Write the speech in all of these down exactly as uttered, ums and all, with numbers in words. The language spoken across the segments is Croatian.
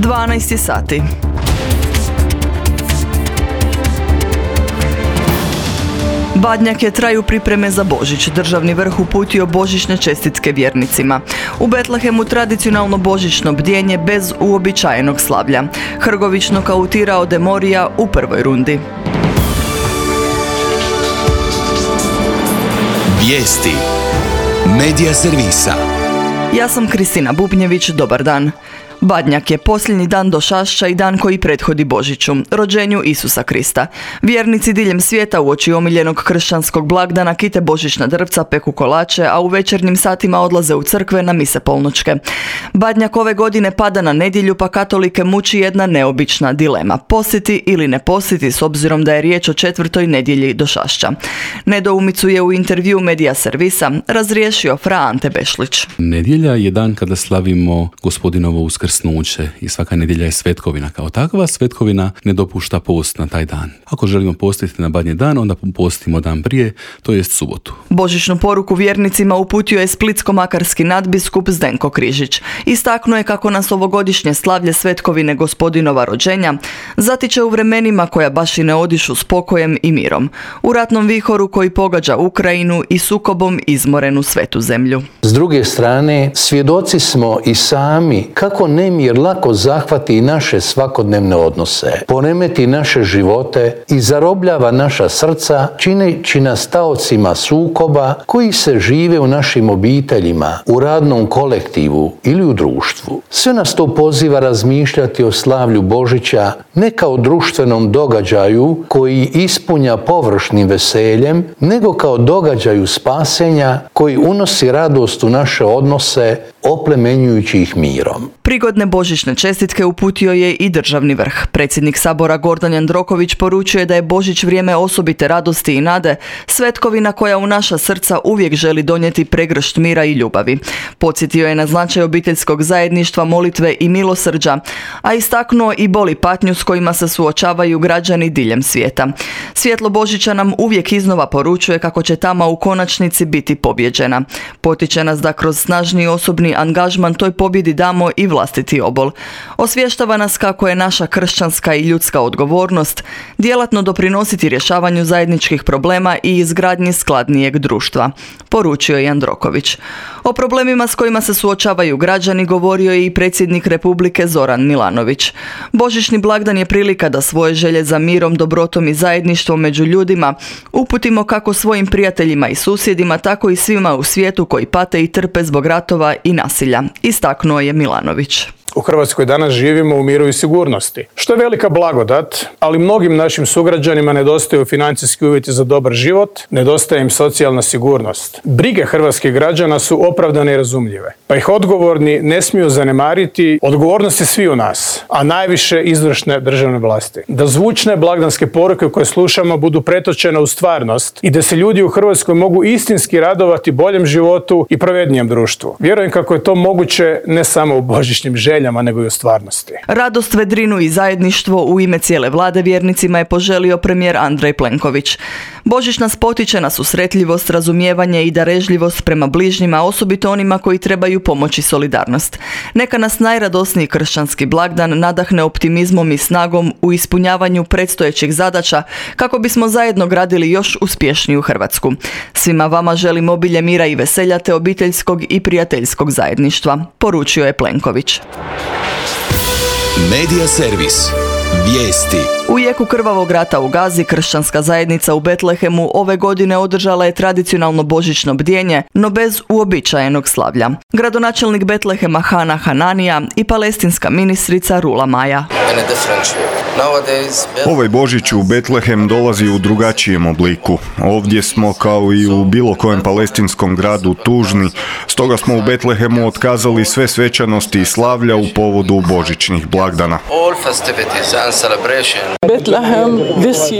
dvanaest sati. Badnjake traju pripreme za Božić. Državni vrh uputio božićne čestitke vjernicima. U Betlehemu tradicionalno božićno bdjenje bez uobičajenog slavlja. Hrgović nokautirao Demorija u prvoj rundi. Vijesti Medija servisa. Ja sam Kristina Bubnjević, dobar dan. Badnjak je posljednji dan Došašća i dan koji prethodi Božiću, rođenju Isusa Krista. Vjernici diljem svijeta uoči omiljenog kršćanskog blagdana kite božićna drvca, peku kolače, a u večernjim satima odlaze u crkve na mise polnoćke. Badnjak ove godine pada na nedjelju, pa katolike muči jedna neobična dilema. Posjeti ili ne posjeti, s obzirom da je riječ o četvrtoj nedjelji Došašća. Nedoumicu je u intervju Medija servisa razriješio fra Ante Bešlić. Nedjelja je dan kada slavimo Gospodinovo uskrsnuće i svaka nedjelja je svetkovina. Kao takva svetkovina ne dopušta post na taj dan. Ako želimo postiti na badnji dan, onda postimo dan prije, to jest subotu. Božićnu poruku vjernicima uputio je splitsko-makarski nadbiskup Zdenko Križić. Istaknuo je kako nas ovogodišnje slavlje svetkovine Gospodinova rođenja zatiče u vremenima koja baš i ne odišu spokojem i mirom. U ratnom vihoru koji pogađa Ukrajinu i sukobom izmorenu svetu zemlju. S druge strane, svjedoci smo i sami kako nemir lako zahvati naše svakodnevne odnose, poremeti naše živote i zarobljava naša srca, čineći nas taocima sukoba koji se žive u našim obiteljima, u radnom kolektivu ili u društvu. Sve nas to poziva razmišljati o slavlju Božića ne kao društvenom događaju koji ispunja površnim veseljem, nego kao događaju spasenja koji unosi radost u naše odnose, oplemenjujući ih mirom. Prigodne božićne čestitke uputio je i državni vrh. Predsjednik Sabora Gordan Jandroković poručuje da je Božić vrijeme osobite radosti i nade, svetkovina koja u naša srca uvijek želi donijeti pregršt mira i ljubavi. Podsjetio je na značaj obiteljskog zajedništva, molitve i milosrđa, a istaknuo i bol i patnju s kojima se suočavaju građani diljem svijeta. Svjetlo Božića nam uvijek iznova poručuje kako će tama u konačnici biti pobjeđena. Potiče nas da kroz snažni osobni angažman toj pobjedi damo i vlastiti obol. Osvještava nas kako je naša kršćanska i ljudska odgovornost djelatno doprinositi rješavanju zajedničkih problema i izgradnji skladnijeg društva, poručio je Jandroković. O problemima s kojima se suočavaju građani govorio je i predsjednik Republike Zoran Milanović. Božićni blagdan je prilika da svoje želje za mirom, dobrotom i zajedništvom među ljudima uputimo kako svojim prijateljima i susjedima, tako i svima u svijetu koji pate i trpe zbog ratova i nasilja, istaknuo je Milanović. U Hrvatskoj danas živimo u miru i sigurnosti, što je velika blagodat, ali mnogim našim sugrađanima nedostaju financijski uvjeti za dobar život, nedostaje im socijalna sigurnost. Brige hrvatskih građana su opravdane i razumljive, pa ih odgovorni ne smiju zanemariti. Odgovornost je svi u nas, a najviše izvršne državne vlasti. Da zvučne blagdanske poruke koje slušamo budu pretočene u stvarnost i da se ljudi u Hrvatskoj mogu istinski radovati boljem životu i pravednijem društvu. Vjerujem kako je to moguće ne samo u božićnim željama, nego i u stvarnosti. Radost, vedrinu i zajedništvo u ime cijele vlade vjernicima je poželio premijer Andrej Plenković. Božić nas potiče na susretljivost, razumijevanje i darežljivost prema bližnjima, osobito onima koji trebaju pomoć i solidarnost. Neka nas najradosniji kršćanski blagdan nadahne optimizmom i snagom u ispunjavanju predstojećih zadaća kako bismo zajedno gradili još uspješniju Hrvatsku. Svima vama želim obilje mira i veselja te obiteljskog i prijateljskog zajedništva, poručio je Plenković. Medija servis. Vijesti. U jeku krvavog rata u Gazi, kršćanska zajednica u Betlehemu ove godine održala je tradicionalno božićno bdjenje, no bez uobičajenog slavlja. Gradonačelnik Betlehema Hana Hananija i palestinska ministrica Rula Maja. Ovaj Božić u Betlehem dolazi u drugačijem obliku. Ovdje smo kao i u bilo kojem palestinskom gradu tužni, stoga smo u Betlehemu otkazali sve svečanosti i slavlja u povodu božićnih blagdana.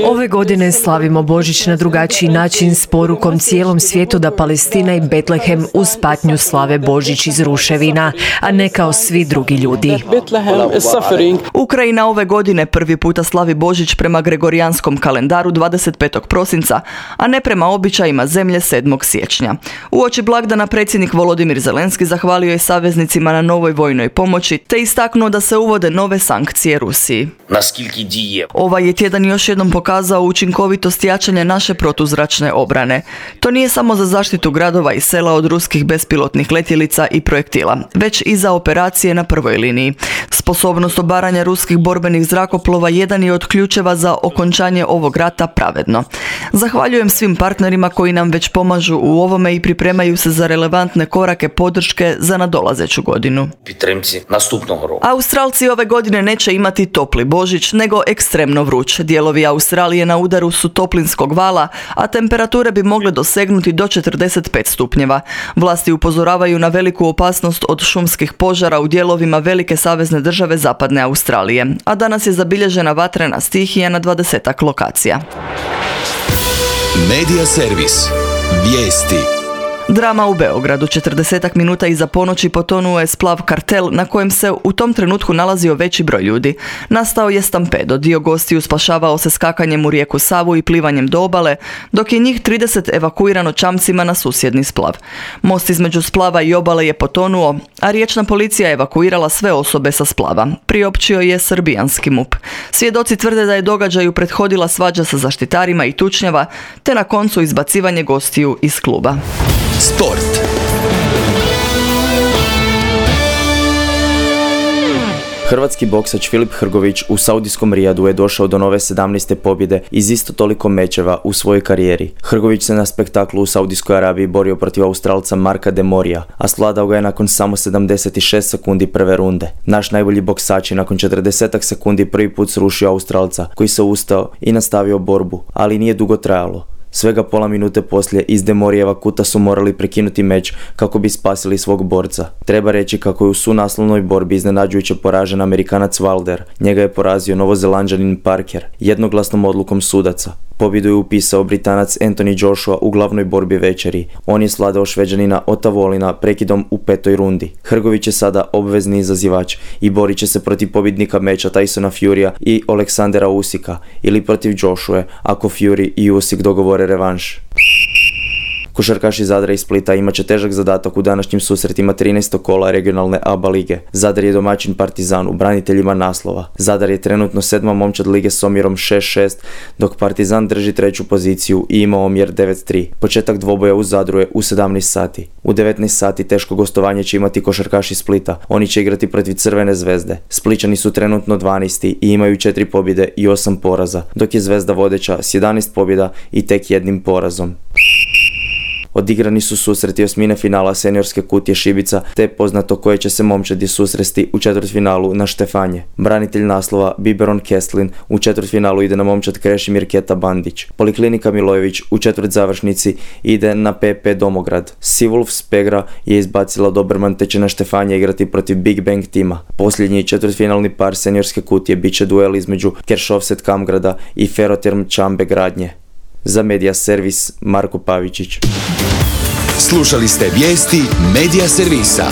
Ove godine slavimo Božić na drugačiji način s porukom cijelom svijetu da Palestina i Betlehem uz patnju slave Božić iz ruševina, a ne kao svi drugi ljudi. Ukrajina ove godine prvi puta slavi Božić prema gregorijanskom kalendaru dvadeset petog prosinca, a ne prema običajima zemlje sedmog siječnja. Uoči blagdana predsjednik Volodimir Zelenski zahvalio je saveznicima na novoj vojnoj pomoći te istaknuo da se uvode nove sankcije Rusiji. Ovaj je tjedan još jednom pokazao učinkovitost jačanja naše protuzračne obrane. To nije samo za zaštitu gradova i sela od ruskih bespilotnih letjelica i projektila, već i za operacije na prvoj liniji. Sposobnost obaranja ruskih borbenih zrakoplova jedan je od ključeva za okončanje ovog rata pravedno. Zahvaljujem svim partnerima koji nam već pomažu u ovome i pripremaju se za relevantne korake podrške za nadolazeću godinu. Australci ove godine neće imati topli Božić, nego ekstremno vruć. Dijelovi Australije na udaru su toplinskog vala, a temperature bi mogle dosegnuti do četrdeset pet stupnjeva. Vlasti upozoravaju na veliku opasnost od šumskih požara u dijelovima velike savezne države zapadne Australije, a danas je zabilježena vatrena stihija na dvadesetak lokacija. Medija servis. Vijesti. Drama u Beogradu. četrdesetak minuta iza ponoći potonuo je splav Kartel na kojem se u tom trenutku nalazio veći broj ljudi. Nastao je stampedo. Dio gostiju spašavao se skakanjem u rijeku Savu i plivanjem do obale, dok je njih trideset evakuirano čamcima na susjedni splav. Most između splava i obale je potonuo, a riječna policija evakuirala sve osobe sa splava. Priopćio je srbijanski M U P. Svjedoci tvrde da je događaju prethodila svađa sa zaštitarima i tučnjava, te na koncu izbacivanje gostiju iz kluba. Sport. Hrvatski boksač Filip Hrgović u saudijskom Rijadu je došao do nove sedamnaeste pobjede iz isto toliko mečeva u svojoj karijeri. Hrgović se na spektaklu u Saudijskoj Arabiji borio protiv Australca Marka De Morija, a svladao ga je nakon samo sedamdeset šest sekundi prve runde. Naš najbolji boksač je nakon četrdeset sekundi prvi put srušio Australca, koji se ustao i nastavio borbu, ali nije dugo trajalo. Svega pola minute poslije iz De Morijeva kuta su morali prekinuti meč kako bi spasili svog borca. Treba reći kako je u sunaslovnoj borbi iznenađujuće poražen Amerikanac Wilder. Njega je porazio Novozelanđanin Parker jednoglasnom odlukom sudaca. Pobjedu je upisao Britanac Anthony Joshua u glavnoj borbi večeri. On je svladao Šveđanina Ota Volina prekidom u petoj rundi. Hrgović je sada obvezni izazivač i borit će se protiv pobjednika meča Tysona Furya i Aleksandera Usika ili protiv Joshua ako Fury i Usyk dogovore revanš. Košarkaši Zadra i Splita imat će težak zadatak u današnjim susretima trinaestog kola regionalne A B A lige. Zadar je domaćin Partizan u braniteljima naslova. Zadar je trenutno sedma momčad lige s omjerom šest šest, dok Partizan drži treću poziciju i ima omjer devet tri. Početak dvoboja u Zadru je u sedamnaest sati. U devetnaest sati teško gostovanje će imati košarkaši Splita. Oni će igrati protiv Crvene zvezde. Spličani su trenutno dvanaesti i imaju četiri pobjede i osam poraza, dok je Zvezda vodeća s jedanaest pobjeda i tek jednim porazom. Odigrani su susreti osmine finala seniorske kutije Šibica, te poznato koje će se momčadi susresti u četvrtfinalu na Štefanje. Branitelj naslova Biberon Kestlin u četvrtfinalu ide na momčad Krešimir Keta Bandić. Poliklinika Milojević u četvrt završnici ide na P P Domograd. Seawolves Pegra je izbacila Doberman te će na Štefanje igrati protiv Big Bang tima. Posljednji četvrtfinalni par seniorske kutije bit će duel između Keršovset Kamgrada i Ferroterm Čambe Gradnje. Za Medija servis Marko Pavičić. Slušali ste vijesti Medija servisa.